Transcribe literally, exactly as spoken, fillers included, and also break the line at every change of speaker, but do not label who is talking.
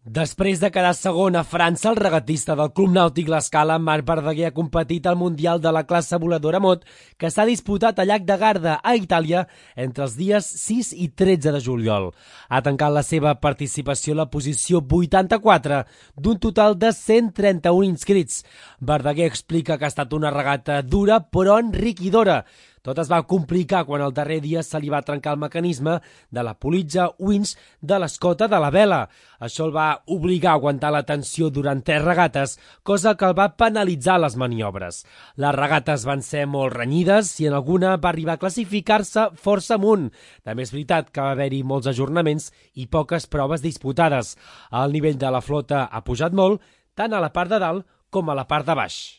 Després de quedar segon a França, el regatista del Club Nàutic L'Escala, Marc Verdaguer, ha competit al Mundial de la classe voladora mot, que s'ha disputat a Llac de Garda, a Itàlia, entre els dies sis i tretze de juliol. Ha tancat la seva participació a la posició vuitanta-quatre, d'un total de cent trenta-un inscrits. Verdaguer explica que ha estat una regata dura, però enriquidora. Tot es va complicar quan el darrer dia se li va trencar el mecanisme de la politja winch de l'escota de la vela. Això el va obligar a aguantar la tensió durant tres regates, cosa que el va penalitzar les maniobres. Les regates van ser molt renyides i en alguna va arribar a classificar-se força amunt. També és veritat que va haver-hi molts ajornaments i poques proves disputades. El nivell de la flota ha pujat molt, tant a la part de dalt com a la part de baix.